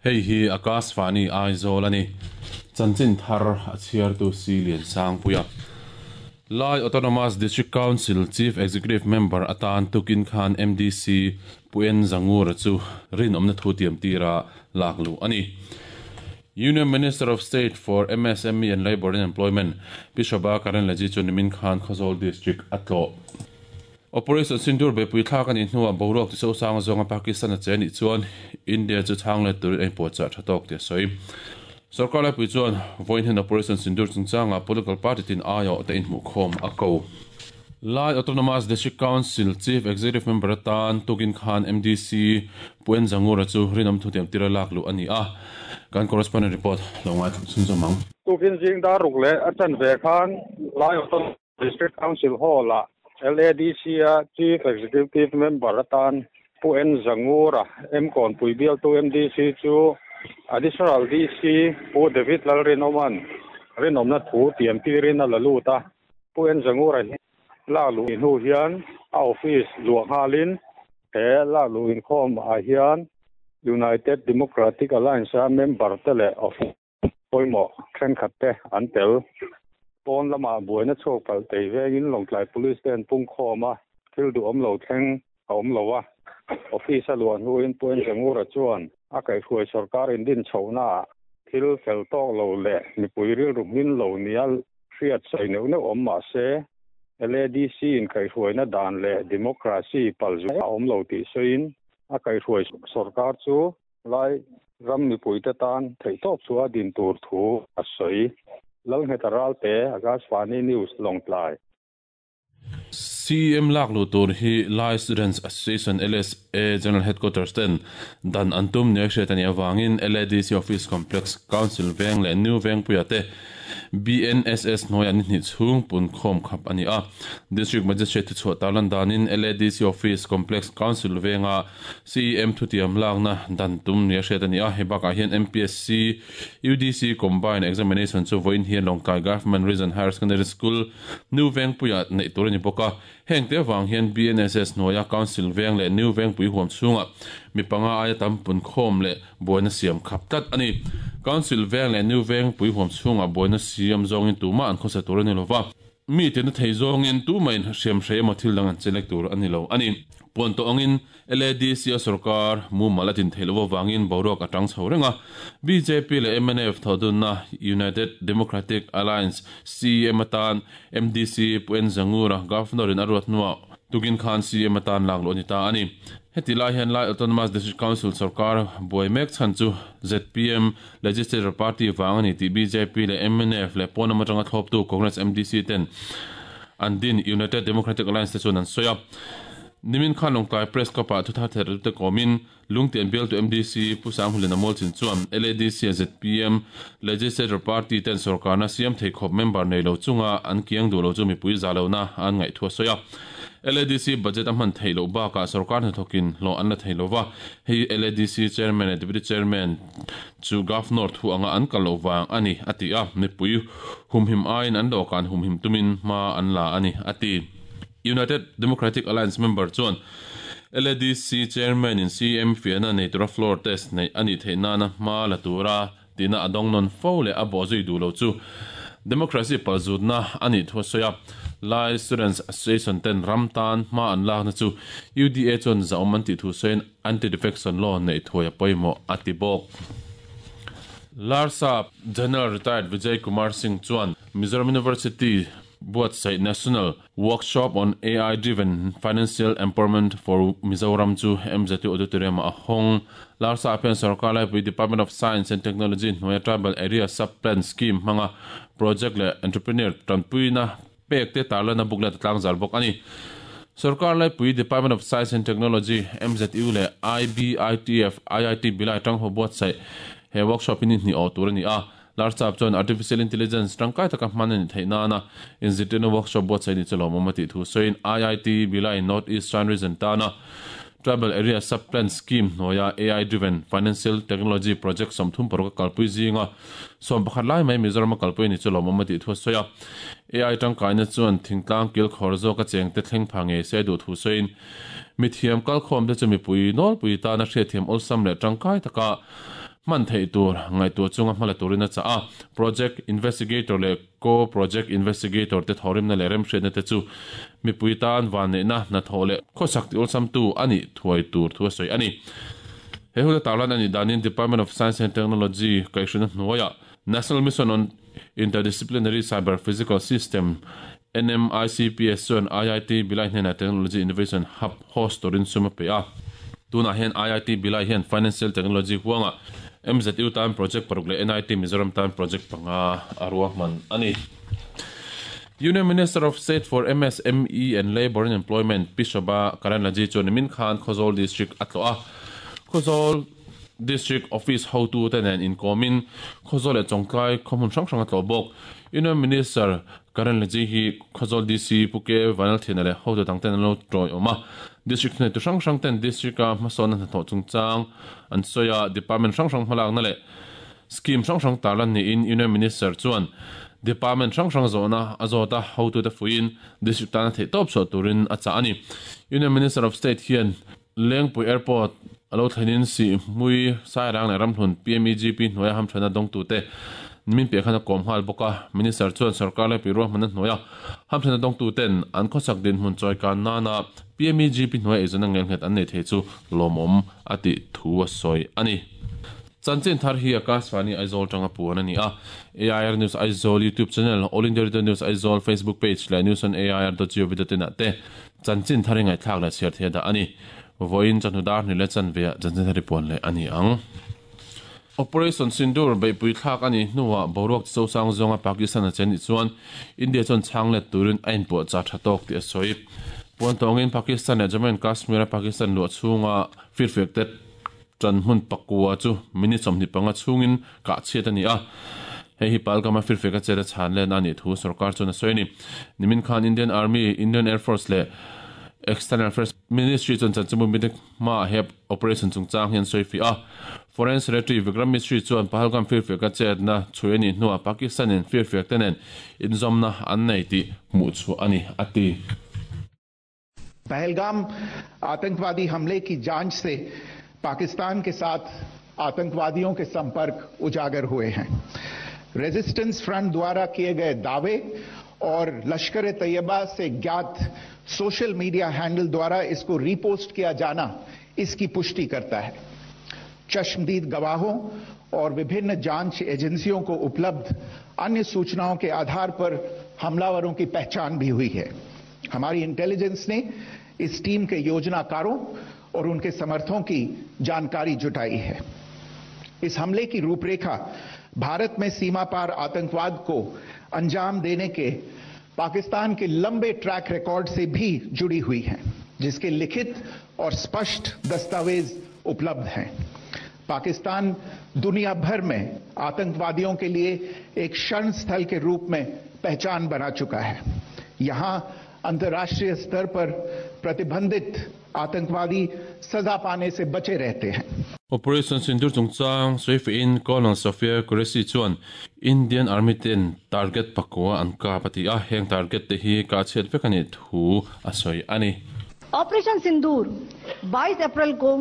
Hei hi Akashvani Aizawl a ni. Chanchin thar a chhiartu Si Liansangpuia. Lai Autonomous District Council Chief Executive Member atan tukin khan MDC Pu En Zangura chu rinawmna thu tiam tira lak luh a ni. Union Minister of State for MSME and Labour and Employment Pi Shobha Karandlaje chu nimin khan Khawzawl District a tlawh. Operation Sindoor beipui thlak a nih hnuah boruak ti sosang zawnga Pakistan a che anih chuan India chu chhang let turin a inpuahchah tha tawk tih a sawi. Sorkar laipui chuan vawiin hian Operation Sindoor chungchangah political party tin aiawh te inhmuhkhawm a ko. Lai Autonomous District Council Chief Executive Member atan tukin khan MDC Pu En Zangura chu rinawm thutiam tira lak luh a ni a, kan correspondent report lo ngaithla chhunzawm ang. Tukin zing dar ruk leh a chanve khan Lai Autonomous District Council Hall-ah LADC-a Chief Executive Member atan Pu En Zangura, Mkawnpui bialtu MDC chu Additional DC Pu David Lalrinawma'n rinawmna thu tiam tirin a la lut a. Pu En Zangura hi lak luh hnu hian a office luah nghalin he lak luh inkhawm ah hian United Democratic Alliance-a member te leh office pawimawh thenkhat te an tel. Pawn lamah buaina chhuak palh tei vengin Lawngtlai Police te an pungkhawm a, thil duhawm lo thleng a awm lo a. Office a luah hnuin Pu En Zangura chuan a kaihhruai sorkar indin chhohnaah thil fel tawk lo leh mipui rilru hmin lo nia hriat sawi neuh neuh awm mah se, LADC in kaihhruaina dan leh democracy palzut a awm lo tih sawiin a kaihhruai sorkar chu Lai ram mipuite tan theihtawp chu a din tur thu a sawi. Lalngheta Ralte, Akashvani News, Lawngtlai. CM lak luh tur hi Lai Students Association, LSA, General Headquarters ten dan an tum nia hriat a nih avangin LADC Office Complex, Council Veng leh New Vengpuia te BNSS hnuaiah ni hnih chhung punkhawm khap a ni a. District Magistrate thuchhuah tarlan danin LADC Office Complex Council Venga CEM thutiam lakna dan tum nia hriat a ni a, hei bakah hian MPSC, UDC Combined Examination chu vawiin hian Lawngtlai Government Region Higher Secondary School, New Vengpuiah neih tur a ni bawk a. Heng te avang hian BNSS hnuaia Council Veng leh New Vengpui huam chhungah mi panga aia tam punkhawm leh buaina siam khap tlat a ni. Council Veng leh New Vengpui huam chhungah buaina siam zawngin tumah an khawsa tur a ni lova. Mi tina thei zawngin tumahin hriam hrei emaw thil dang an chelek tur a ni lo a ni. Puan tawh angin LADC a sorkar mumal a din theih loh avangin boruak a tang chho reng a. Bjp leh mnf thawhdunna United Democratic Alliance CEM atan MDC Pu En Zangura Governor in a ruat hnuah tukin khan CEM atan lak luh a ni ta a ni. Heti lai hian Lai Autonomous District Council sorkar buai mek chhan chu zpm Legislature Party vang a ni tih bjp leh mnf leh pawn lam atanga thlawptu Congress MDC ten an din United Democratic Alliance te chuan an sawi a. Nimin khan Lawngtlai Press Club-ah thuthar theih te kawmin Lungtian bialtu MDC Pu Sanghuliana Mualchin chuan LADC a zpm Legislature Party ten sorkarna siam thei khawp member nei lo chunga an kiang duh lo chu mipui za lohna an ngaih thu a sawi a. LADC budget a hman theih loh bakah sorkar hnathawkin hlawh an la thei lo va, hei LADC Chairman leh Deputy Chairman chu Governor thu anga an kal loh vang a ni, a ti a, mipui humhim aiin an dawhkan humhim tumin hma an la a ni, a ti. United Democratic Alliance member chuan LADC Chairman in CM fiahna nei tura floor test neih a nih theih nana hma la tura tihna a dawng nawn fo leh a bawhzui duh lo chu democracy palzutna a nih thu a sawi a. Lai Students Association ten ram tan hma an lakna chu UDA chuan zahawm an tih thu sawiin anti-defection law neih thuai a pawimawh a ti bawk. Larsa General Retired Vijay Kumar Singh chuan Mizoram University buatsaih National Workshop on AI Driven Financial Empowerment for Mizoram chu MZU Auditorium ah a hawng. Larsa ah hian Sorkar Laipui Department of Science and Technology hnuaia Tribal Area Sub Plan Scheme hmanga project leh entrepreneur tanpuina pek te tarlana booklet a tlangzal bawk a ni. Sorkar Laipui Department of Science and Technology, MZU leh IBITF, IIT Bhilai tangho buatsaih he workshop hi ni hnih awh tur a ni a. Larchap chuan Artificial Intelligence tangkai taka hman a nih theih nana inzirtirna workshop buatsaih ni chu lawmawm a tih thu sawiin IIT Bhilai North Eastern Region tana Tribal Area Sub-Plan Scheme hnuaia AI Driven Financial Technology Project 36 a kalpui zinga 11 lai mai Mizoram a kalpui a ni chu lawmawm a tih thu a sawi a. AI tangkaina chuan thingtlang kilkhawr zawka chengte thleng pha ngei se a duh thu sawiin mithiam kalkhawmte chu mipui nawlpui tana hriatthiam awlsam leh tangkai taka. Hman theih tur ngaihtuah chunga hmala turin a chah a, Project Investigator leh Co-Project Investigator te thawhrimna leh remhriatna te chu mipui tan vanneihna, hnathawh leh khawsak ti awlsamtu a nih thuai tur thu a sawi a ni. He hun a tarlan a nih danin Department of Science and Technology kaihhruina hnuaiah National Mission on Interdisciplinary Cyber Physical System, NMICPS, chuan IIT Bhilai hnenah Technology Innovation Hub host turin sum a pe a. Tunah hian IIT Bhilai hian Financial Technology huangah MZU tan project paruk leh NIT Mizoram tan project panga a ruahman a ni. Union Minister of State for MSME and Labour and Employment Pi Shobha Karandlaje chuan nimin khan Khawzawl District a tlawh a. Khawzawl District Office hotute nen inkawmin Khawzawl leh Chawngtlai khaw hmun hrang hrang a tlawh bawk. Union Minister Karandlaje hi Khawzawl DC Pu Ke Vanlalthiana leh hotu dangten an lo tawiawm a. District thuneitu hrang hrang ten District-a hmasawnna hnathawh chungchang an sawi a, Department hrang hrang hmalakna leh Scheme hrang hrang tarlan niin Union Minister chuan Department hrang hrang zawhna a zawt a, hotute fuiin District tana theihtawp chhuah turin a chah a ni. Union Minister of State hian Lengpui Airport a lo thlenin Sihhmui, Sairang leh Ramhlun PMEGP hnuaia hamthanna dawngtute nimin piah khan a kawm nghal bawk a. Minister chuan sorkar lehpui ruahmanna hnuaia hamthanna dawngtuten an khawsak dinhmun chawikan nana PMEGP hnuaia eizawnna ngelnghet an nei thei chu lawmawm a tih thu a sawi a ni. Chanchin thar hi Akashvani Aizawl tanga puan a ni a. AIR News Aizawl YouTube channel, All India Radio News Aizawl Facebook page leh News on AIR dot gov dot in ah te Chanchin thar i ngaihthlak leh chhiar thei a dah a ni. Vawiin chawhnu dar hnih leh chanve ah chanchin thar i puan leh a ni ang. Operation Sindoor beihpui thlak a nih hnuah boruak chi chosang zawnga Pakistan a che nih chuan India chuan chhang let turin a inpuahchah tha tawk tih a sawi. Puan tawngin Pakistan leh Jammu and Kashmir a Pakistan luah chhunga firfiak te tan hmun pakua chu minute 25 chhungin kah chhiat a ni a. Hei hi Pahalgam-a firfiak a chet a chhan len a nih thu sorkar chuan a sawi a ni. Nimin khan Indian Army, Indian Air Force leh External Affairs Ministry chuan chanchinbu mite hmaah he operation chungchang hi an sawi fiah a. Foreign Secretary Vikram Misri chuan Pahalgam firfiak a chetna chhui a nih hnuah Pakistan-in firfiak te nen inzawmna an nei tih hmuhchhuah a ni, a ti. Pahalgam आतंकवादी हमले की जांच से पाकिस्तान के साथ आतंकवादियों के संपर्क उजागर हुए हैं रेजिस्टेंस फ्रंट द्वारा किए गए दावे और लश्कर तैयबा से ज्ञात social media handle द्वारा इसको रिपोस्ट किया जाना इसकी पुष्टि करता है चश्मदीद गवाहों और विभिन्न जांच एजेंसियों को उपलब्ध अन्य सूचनाओं के आधार पर हमलावरों की पहचान भी हुई है हमारी इंटेलिजेंस ने इस टीम के योजनाकारों और उनके समर्थकों की जानकारी जुटाई है इस हमले की रूपरेखा भारत में सीमा पार आतंकवाद को अंजाम देने के पाकिस्तान के लंबे ट्रैक रिकॉर्ड से भी जुड़ी हुई है जिसके लिखित और स्पष्ट दस्तावेज उपलब्ध हैं पाकिस्तान दुनिया भर में आतंकवादियों के लिए एक शरण स्थल के रूप में पहचान बना चुका है यहां अंतर्राष्ट्रीय स्तर पर प्रतिबंधित आतंकवादी सजा पाने से बचे रहते हैं Operation Sindoor chungchang sawifiahin Colonel Sophia Qureshi chuan Indian Army ten target pakua an kap a ti a, heng target te hi kah chhiat vek a nih thu a sawi a ni. Operation Sindoor 22 April को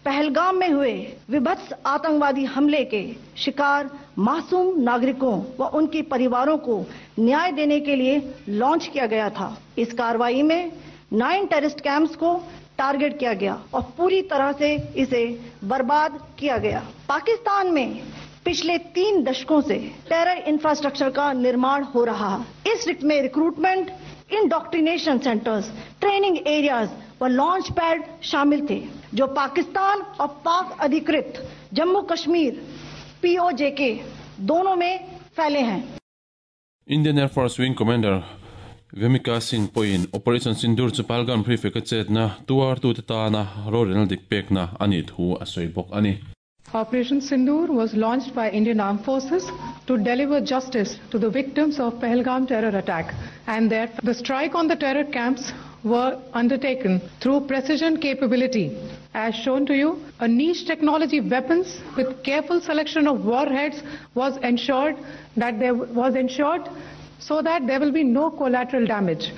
पहलगाम में हुए विभत्स आतंकवादी हमले के शिकार मासूम नागरिकों व उनके परिवारों को न्याय देने के लिए लॉन्च किया गया था इस कार्रवाई में nine terrorist camps को टारगेट किया गया और पूरी तरह से इसे बर्बाद किया गया पाकिस्तान में पिछले तीन दशकों से टेरर इंफ्रास्ट्रक्चर का निर्माण हो रहा है इस में recruitment indoctrination centres training areas व लॉन्च पैड शामिल थे जो पाकिस्तान और पाक अधिकृत जम्मू कश्मीर पीओजेके दोनों में फैले हैं Indian Air Force Wing Commander Vyomika Singh pawhin Operation Sindoor chu Pahalgam Prefect a chetna tuartute tana rorelna dik pekna a nih thu a sawi bawk a ni. Operation Sindoor was launched by Indian Armed Forces to deliver justice to the victims of Pahalgam terror attack and their, the strike on the terror camps were undertaken through precision capability. As shown to you, a niche technology weapons with careful selection of warheads was ensured that there was ensured so that there will be no collateral damage.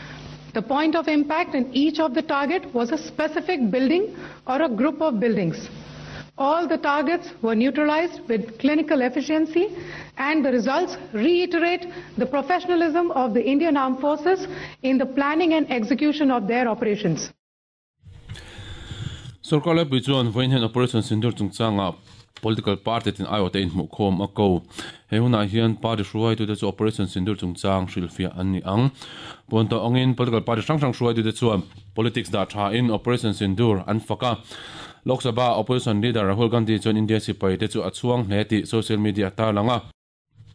The point of impact in each of the target was a specific building or a group of buildings. All the targets were neutralized with clinical efficiency and the results reiterate the professionalism of the Indian Armed Forces in the planning and execution of their operations. Sorkar laipui chuan vawiin hian Operation Sindoor chungchangah political party tin aiawhte inhmuhkhawm a ko. He hunah hian party hruaitute chu Operation Sindoor chungchang hrilhfiah an ni ang. Puan tawh angin political party hrang hrang hruaitute chuan politics dah thain Operation Sindoor an fak a. Lok Sabha Opposition Leader Rahul Gandhi chuan India sipaite chu a chhuang hle tih social media a tarlang a.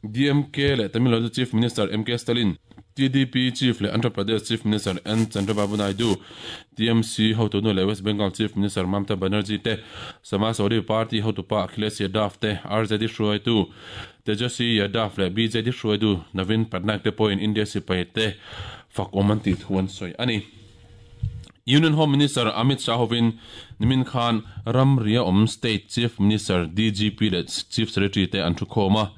DMK leh Tamil Nadu Chief Minister MK Stalin, TDP Chief leh Andhra Pradesh Chief Minister N Chandrababu Naidu, TMC hotunu leh West Bengal Chief Minister Mamta Banerjee te, Samajwadi Party hotupa Akhilesh Yadav te, RJD hruaitu Tejaswi Yadav leh BJD hruaitu Naveen Patnaik te pawhin India sipai te fak awm an tih thu an sawi a ni. Union Home Minister Amit Shah hovin nimin khan ramria awm State Chief Minister, DGP leh Chief Secretary te an thukhawm a.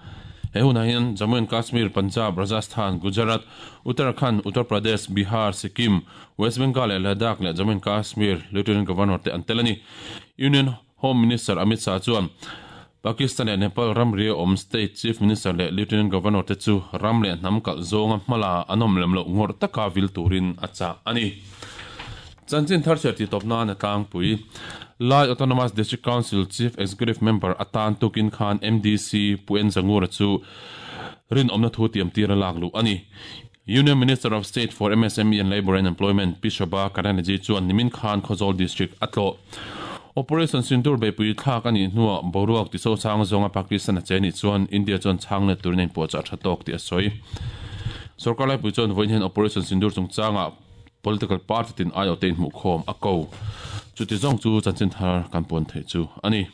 He hunah hian Jammu and Kashmir, Punjab, Rajasthan, Gujarat, Uttarakhand, Uttar Pradesh, Bihar, Sikkim, West Bengal leh Ladakh leh Jammu and Kashmir Lieutenant Governor te an tel a ni. Union Home Minister Amit Shah chuan Pakistan leh Nepal ramria awm State Chief Minister leh Lieutenant Governor te chu ram leh hnam kalh zawnga hmala an awm lem loh ngawrh taka vil turin a chah a ni. Chanchin thar chhiar tih tawp nan a tlangpui. Lai Autonomous District Council Chief Executive Member atan tukin khan MDC Pu En Zangura chu rinawmna thu tiamtir a lak luh a ni. Union Minister of State for MSME and Labour and Employment Pi Shobha Karandlaje chuan nimin khan Khawzawl District a tlawh. Operation Sindoor beihpui thlak a nih hnuah boruak tiso chang zawnga Pakistan a che nih chuan India chuan chhang let turin a inpuahchah tha tawk tih a sawi. Sorkar laipui chuan vawiin hian Operation Sindoor chungchangah political party tin aiawhte inhmuhkhawm a ko. Chuti zawng chu chanchin thar kan puan theih chu a ni.